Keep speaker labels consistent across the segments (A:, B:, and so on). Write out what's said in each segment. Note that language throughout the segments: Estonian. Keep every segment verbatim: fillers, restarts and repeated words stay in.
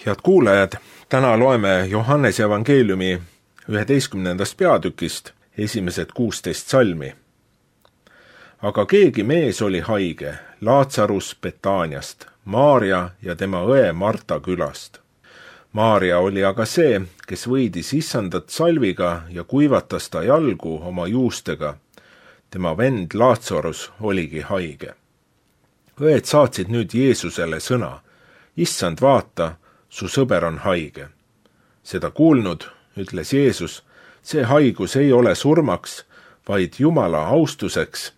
A: Head kuulajad, täna loeme Johannese evangeeliumi üheteistkümnendast peatükist esimesed kuusteist salmi. Aga keegi mees oli haige, Laatsarus Betaaniast, Maaria ja tema õe Marta külast. Maaria oli aga see, kes võidis issandat salviga ja kuivatas ta jalgu oma juustega. Tema vend Laatsarus oligi haige. Õed saatsid nüüd Jeesusele sõna: Issand, vaata, su sõber on haige. Seda kuulnud, ütles Jeesus, see haigus ei ole surmaks, vaid Jumala austuseks,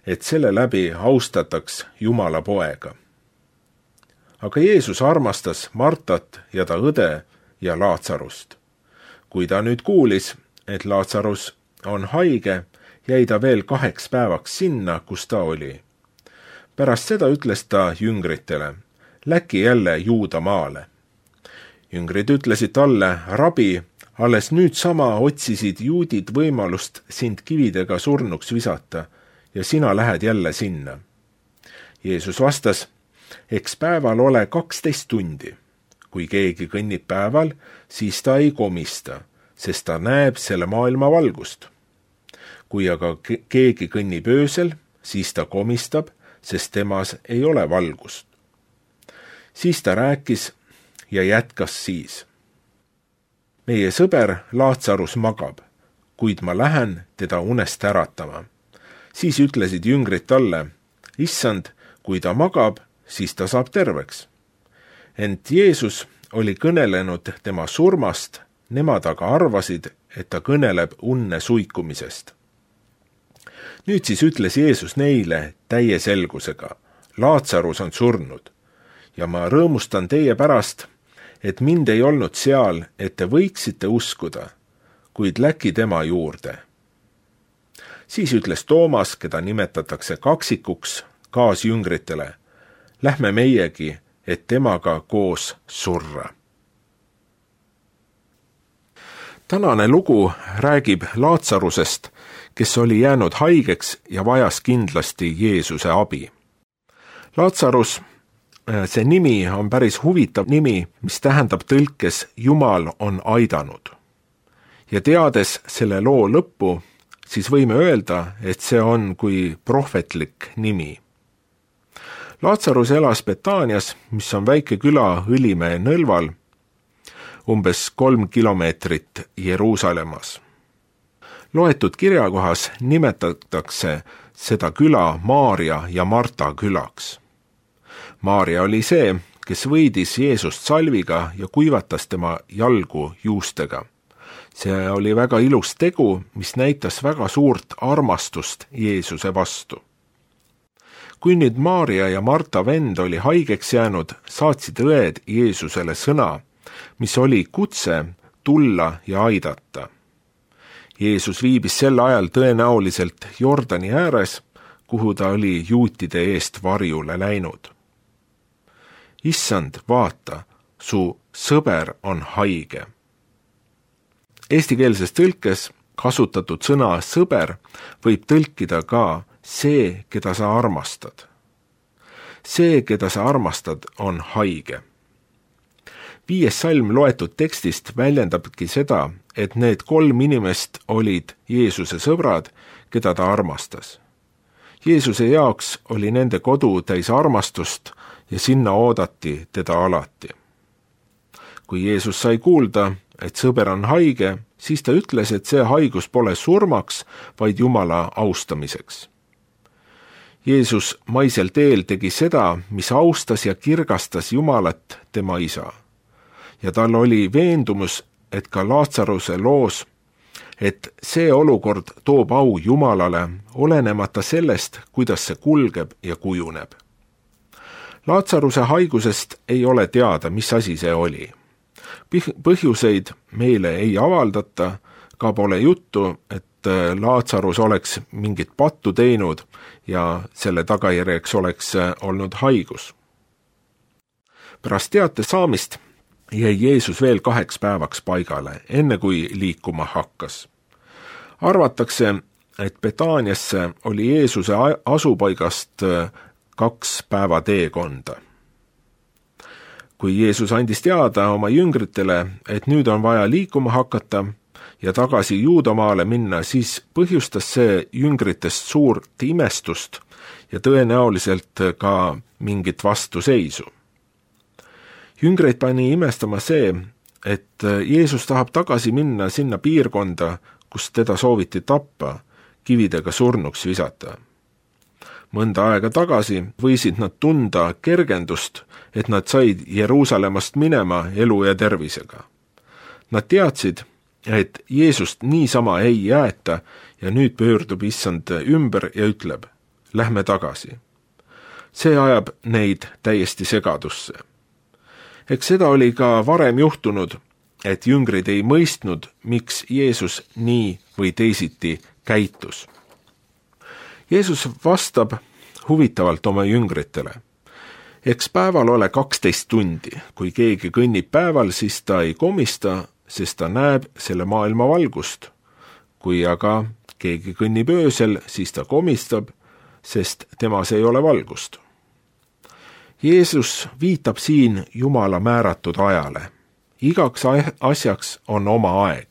A: et selle läbi austataks Jumala poega. Aga Jeesus armastas Martat ja ta õde ja Laatsarust. Kui ta nüüd kuulis, et Laatsarus on haige, jäi ta veel kaheks päevaks sinna, kus ta oli. Pärast seda ütles ta jüngritele: läki jälle Juuda maale. Jüngrid ütlesid talle: rabi, alles nüüd sama otsisid juudid võimalust sind kividega surnuks visata ja sina lähed jälle sinna. Jeesus vastas: eks päeval ole kaksteist tundi. Kui keegi kõnnib päeval, siis ta ei komista, sest ta näeb selle maailma valgust. Kui aga keegi kõnnib öösel, siis ta komistab, sest temas ei ole valgust. Siis ta rääkis ja jätkas siis: meie sõber Laatsarus magab, kuid ma lähen teda unest äratama. Siis ütlesid jüngrid talle: Issand, kui ta magab, siis ta saab terveks. Ent Jeesus oli kõnelenud tema surmast, nemad aga arvasid, et ta kõneleb unne suikumisest. Nüüd siis ütles Jeesus neile täie selgusega: Laatsarus on surnud ja ma rõõmustan teie pärast, et mind ei olnud seal, et te võiksite uskuda, kuid läki tema juurde. Siis ütles Toomas, keda nimetatakse kaksikuks, kaasjüngritele: lähme meiegi, et temaga koos surra. Tänane lugu räägib Laatsarusest, kes oli jäänud haigeks ja vajas kindlasti Jeesuse abi. Laatsarus, see nimi on päris huvitav nimi, mis tähendab tõlkes Jumal on aidanud. Ja teades selle loo lõppu, siis võime öelda, et see on kui prohvetlik nimi. Laatsarus elas Betaanias, mis on väike küla Õlimäe nõlval, umbes kolm kilomeetrit Jeruusalemmas. Loetud kirjakohas nimetatakse seda küla Maaria ja Marta külaks. Maaria oli see, kes võidis Jeesust salviga ja kuivatas tema jalgu juustega. See oli väga ilus tegu, mis näitas väga suurt armastust Jeesuse vastu. Kui nüüd Maaria ja Marta vend oli haigeks jäänud, saatsid õed Jeesusele sõna, mis oli kutse tulla ja aidata. Jeesus viibis sel ajal tõenäoliselt Jordani ääres, kuhu ta oli juutide eest varjule läinud. Issand, vaata, su sõber on haige. Eestikeelses tõlkes kasutatud sõna sõber võib tõlkida ka see, keda sa armastad. See, keda sa armastad, on haige. Viies salm loetud tekstist väljendabki seda, et need kolm inimest olid Jeesuse sõbrad, keda ta armastas. Jeesuse jaoks oli nende kodu täis armastust ja sinna oodati teda alati. Kui Jeesus sai kuulda, et sõber on haige, siis ta ütles, et see haigus pole surmaks, vaid Jumala austamiseks. Jeesus maisel teel tegi seda, mis austas ja kirgastas Jumalat, tema isa. Ja tal oli veendumus, et ka Laatsaruse loos, et see olukord toob au Jumalale, olenemata sellest, kuidas see kulgeb ja kujuneb. Laatsaruse haigusest ei ole teada, mis asi see oli. Põhjuseid meile ei avaldata, ka pole juttu, et Laatsarus oleks mingit pattu teinud ja selle tagajärjeks oleks olnud haigus. Pärast teate saamist jäi Jeesus veel kaheks päevaks paigale, enne kui liikuma hakkas. Arvatakse, et Betaaniasse oli Jeesuse asupaigast kaks päeva teekonda. kui Jeesus andis teada oma jüngritele, et nüüd on vaja liikuma hakata ja tagasi Juudamaale minna, siis põhjustas see jüngritest suurt imestust ja tõenäoliselt ka mingit vastuseisu. Jüngreid pani imestama see, et Jeesus tahab tagasi minna sinna piirkonda, kus teda sooviti tappa, kividega surnuks visata. Mõnda aega tagasi võisid nad tunda kergendust, et nad said Jeruusalemmast minema elu ja tervisega. Nad teadsid, et Jeesust niisama ei jäeta ja nüüd pöördub issand ümber ja ütleb, lähme tagasi. See ajab neid täiesti segadusse. Eks seda oli ka varem juhtunud, et jüngrid ei mõistnud, miks Jeesus nii või teisiti käitus. Jeesus vastab huvitavalt oma jüngritele. Eks päeval ole kaksteist tundi. Kui keegi kõnnib päeval, siis ta ei komista, sest ta näeb selle maailma valgust. Kui aga keegi kõnnib öösel, siis ta komistab, sest temas ei ole valgust. Jeesus viitab siin Jumala määratud ajale. Igaks asjaks on oma aeg.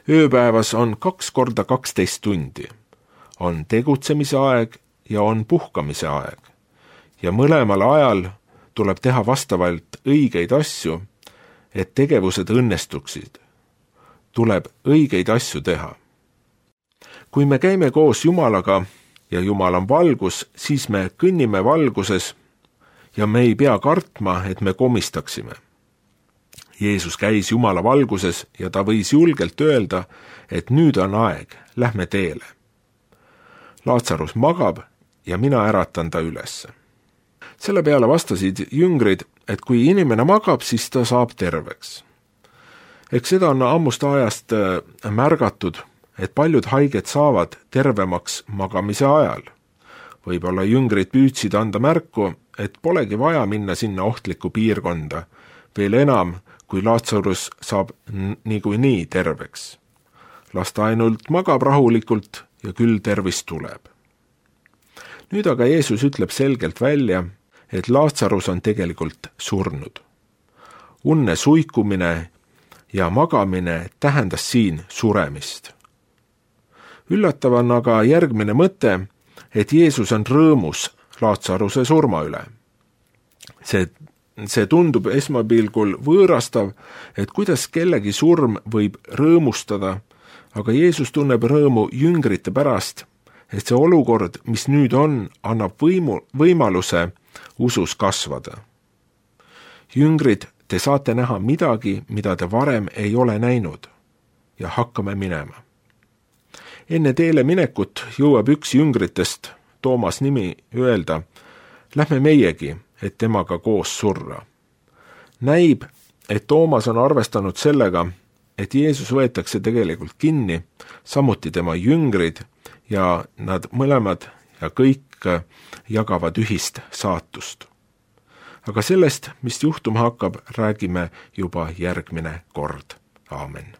A: Ööpäevas on kaks korda kaksteist tundi. On tegutsemise aeg ja on puhkamise aeg. Ja mõlemal ajal tuleb teha vastavalt õigeid asju, et tegevused õnnestuksid. Tuleb õigeid asju teha. Kui me käime koos Jumalaga ja Jumal on valgus, siis me kõnnime valguses ja me ei pea kartma, et me komistaksime. Jeesus käis Jumala valguses ja ta võis julgelt öelda, et nüüd on aeg, lähme teele. Laatsarus magab ja mina äratan ta üles. Selle peale vastasid jüngrid, et kui inimene magab, siis ta saab terveks. Eks seda on ammust ajast märgatud, et paljud haiged saavad tervemaks magamise ajal. Võib-olla jüngrid püüdsid anda märku, et polegi vaja minna sinna ohtlikku piirkonda, veel enam, kui Laatsarus saab niikuinii terveks. Las ta ainult magab rahulikult ja küll tervis tuleb. Nüüd aga Jeesus ütleb selgelt välja, et Laatsarus on tegelikult surnud. Unne suikumine ja magamine tähendas siin suremist. Üllatav on aga järgmine mõte, et Jeesus on rõõmus Laatsaruse surma üle. See, see tundub esmapilgul võõrastav, et kuidas kellegi surm võib rõõmustada, aga Jeesus tunneb rõõmu jüngrite pärast, et see olukord, mis nüüd on, annab võimu, võimaluse usus kasvada. Jüngrid, te saate näha midagi, mida te varem ei ole näinud ja hakkame minema. Enne teele minekut jõuab üks jüngritest, Toomas nimi, öelda, lähme meiegi, et temaga koos surra. Näib, et Toomas on arvestanud sellega, et Jeesus võetakse tegelikult kinni, samuti tema jüngrid ja nad mõlemad ja kõik jagavad ühist saatust. Aga sellest, mis juhtuma hakkab, räägime juba järgmine kord. Aamen.